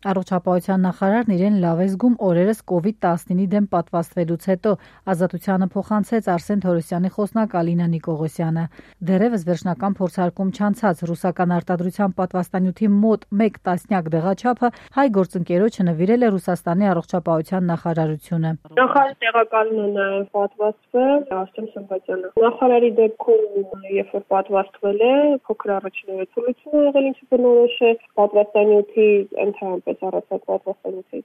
Առողջապահության նախարարն իրեն լավ է զգում օրերս COVID-19-ի դեմ պատվաստվելուց հետո, Ազատությանը փոխանցեց Արսեն Թորոսյանի խոսնակ Ալինա Նիկողոսյանը։ Դեռևս վերջնական փորձարկում չանցած ռուսական արտադրության պատվաստանյութի մոտ 1 տասնյակ դեղաչափը հայ գործընկերոջը նվիրել է Ռուսաստանի առողջապահության նախարարությունը։ Նախարարի տեղակալն է նաև պատվաստվել Արսեն Սմբատյանը։ Նախարարի դեպքում, երբ որ պատվաստվել է, փոքր առաջին ցույցն է եղել, ինչը բնորոշ է պատվաստանյութի ընդհանրապես առողջապահ պատվաստանյութի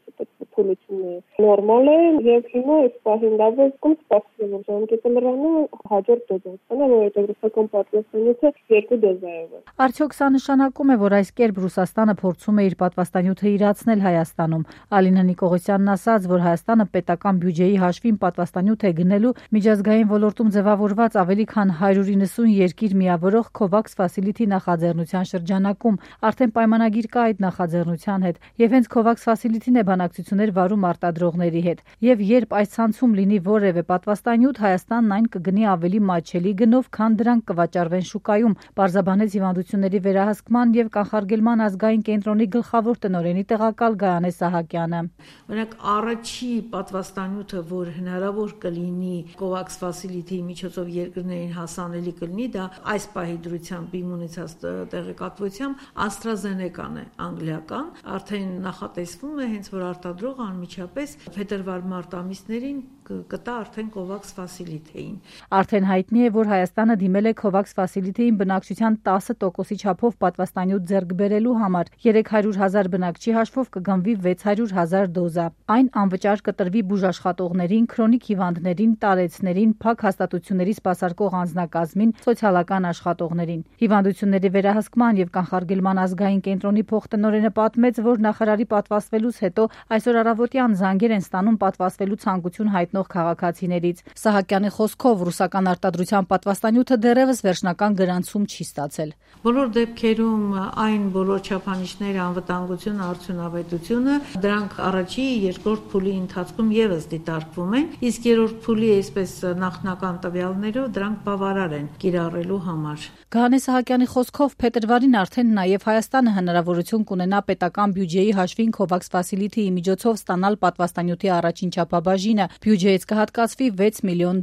փուլությունը նորմալ է եւ հիմա այս պահին լավ է զգում սպասում եմ ժամկետը լրանը հաջորդ դոզը, որովհետեւ ռուսական պատվաստանյութը 2 դոզայով է։ Արդյոք սա նշանակում է, որ այս կերպ Ռուսաստանը փորձում է իր պատվաստանյութը իրացնել Հայաստանում։ Ալինա Նիկողոսյանն ասաց, որ Հայաստանը պետական բյուջեի հաշվին պատվաստանյութ է գնելու միջազգային ոլորտում ձևավորված ավելի քան 190 երկիր միավորող COVAX Facility նախաձեռնության շրջանակում արդեն պայմանագիր կա այդ նախաձեռնության հետ եւ հենց COVAX Facility-ն է բանակցություններ վարում արտադրողների հետ։ Եվ երբ այս ցանցում լինի որևէ պատվաստանյութ, Հայաստանն այն կգնի ավելի մատչելի գնով, քան դրանք կվաճառվեն շուկայում, պարզաբանեց Հիվանդությունների վերահսկման եւ կանխարգելման ազգային կենտրոնի գլխավոր տնօրենի տեղակալ Գայանե Սահակյանը։ Օրինակ առաջի պատվաստանյութը, որ հնարավոր կլինի COVAX Facility-ի միջոցով երկրներին հասանելի կլինի, դա այս պահի դրությամբ իմ ունեցած տեղեկատվությամբ AstraZeneca-ն է, անգլիական, արդեն նախատեսվում է հենց որ արտադրողը անմիջապես փետրվար-մարտ ամիսներին կտա արդեն COVAX Facility-ին։ Արդեն հայտնի է, որ Հայաստանը դիմել է COVAX Facility-ին բնակչության 10%-ի չափով պատվաստանյութ ձեռք բերելու համար։ 300,000 բնակչի հաշվով կգնվի 600,000 դոզա։ Այն անվճար կտրվի բուժաշխատողներին, քրոնիկ հիվանդներին, տարեցներին, փակ հաստատությունների սպասարկող անձնակազմին, սոցիալական աշխատողներին։ Հիվանդությունների վերահսկման եւ կանխարգելման ազգային կենտրոնի փոխտնօրենը պատմեց, որ նախարարի պատվաստվելուց հետո այսօր առավոտյան զանգեր են ստանում պատվաստվելու ցանկություն հայտնող քաղաքացիներից։ Սահակյանի խոսքով ռուսական արտադրության պատվաստանյութը դեռևս վերջնական գրանցում չի ստացել։ Բոլոր դեպքերում այն բոլոր չափանիշները, անվտանգությունը, արդյունավետությունը, դրանք առաջի, երկրորդ փուլի ընթացքում եւս դիտարկվում են, իսկ երրորդ փուլի այսպես նախնական տվյալներով դրանք բավարար են կիրառելու համար։ Գայանե Սահակյանի խոսքով փետրվարին արդեն նաև Հայաստանը հնարավորություն կունենա պետական բյուջեի հաշվին COVAX Facility-ի միջոցով ստանալ պատվաստանյութի առաջին չափաբաժինը, բյուջեից կհատկացվի $6 միլիոն։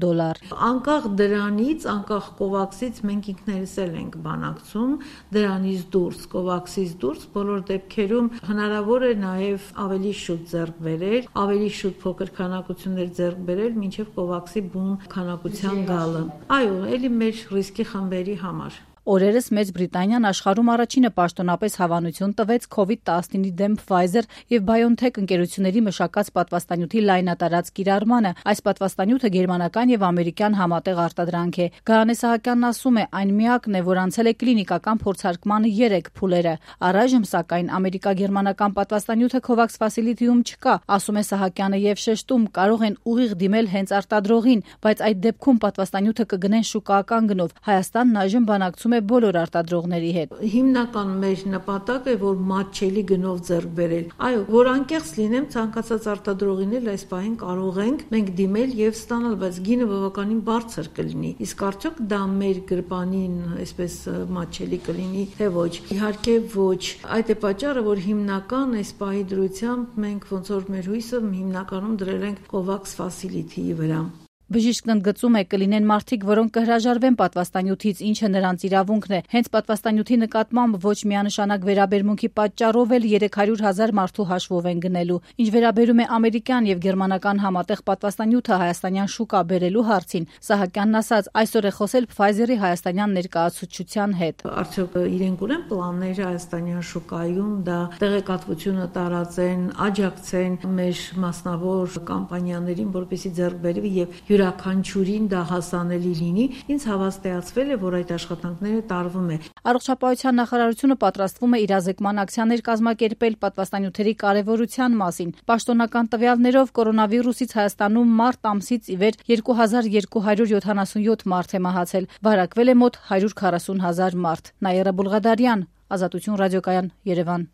Անկախ դրանից, անկախ COVAX-ից մենք ինքներս էլ ենք բանակցում, դրանից դուրս, COVAX-ից դուրս, բոլոր դեպքերում հնարավոր է նաև ավելի շուտ ձեռք բերել, ավելի շուտ փոքր քանակություններ ձեռք բերել, մինչև COVAX-ի բուն քանակության գալը։ Այո, ելի մեր ռիսկի խմբերի համար։ Օրերս Մեծ Բրիտանիան աշխարհում առաջինը պաշտոնապես հավանություն տվեց COVID-19-ի դեմ Pfizer եւ BioNTech ընկերությունների մշակած պատվաստանյութի լայնատարած կիրառմանը։ Այս պատվաստանյութը գերմանական եւ ամերիկյան համատեղ արտադրանք է։ Գայանե Սահակյանն ասում է, այն միակն է, որ անցել է կլինիկական փորձարկմանը 3 փուլերը։ Առայժմ սակայն ամերիկա-գերմանական պատվաստանյութը COVAX Facility-ում չկա, ասում է Սահակյանը եւ շեշտում, կարող են ուղիղ դիմել հենց արտադրողին, բայց այդ դեպքում պատվաստանյութը կգնեն շուկայական գնով։ Հայաստանն այժմ բանակցում է բոլոր արտադրողների հետ։ Հիմնական մեր նպատակը է, որ մատչելի գնով ձեռք բերել։ Այո, որ անկեղծ լինեմ, ցանկացած արտադրողին էլ այս պահին կարող ենք մենք դիմել եւ ստանալ, բայց գինը բավականին բարձր կլինի։ Իսկ արդյոք դա մեր գրպանին այսպես մատչելի կլինի, թե ոչ։ Իհարկե ոչ։ Այդ է պատճառը, որ հիմնական այս պահի դրությամբ մենք ոնց որ մեր հույսը հիմնականում դրել ենք COVAX Facility-ի վրա։ Բժիշկն ընդգծում է, կլինեն մարդիկ, որոնք կհրաժարվեն պատվաստանյութից, ինչը նրանց իրավունքն է։ Հենց պատվաստանյութի նկատմամբ ոչ միանշանակ վերաբերմունքի պատճառով էլ 300,000 մարդու հաշվով են գնելու։ Ինչ վերաբերում է ամերիկյան եւ գերմանական համատեղ պատվաստանյութը հայաստանյան շուկա բերելու հարցին, Սահակյանն ասաց, այսօր է խոսել Pfizer-ի հայաստանյան ներկայացուցչության հետ։ Արդյոք իրենք ունեն պլաններ հայաստանյան շուկայում դա տեղեկատվությունը տարածեն, աջակցեն մեր մասնավոր կամպանիաներին, որպեսզի ձեռք բերվի եւ յուրաքանչյուրին դա հասանելի լինի, ինձ հավաստիացվել է, որ այդ աշխատանքները տարվում է։ Առողջապահության նախարարությունը պատրաստվում է իրազեկման ակցիաներ կազմակերպել պատվաստանյութերի կարևորության մասին։ Պաշտոնական տվյալներով կորոնավիրուսից Հայաստանում մարտ ամսից ի վեր 2277 մարդ է մահացել, վարակվել է մոտ 140,000 մարդ։ Նաիրա Բուլղադարյան, Ազատություն ռադիոկայան, Երևան։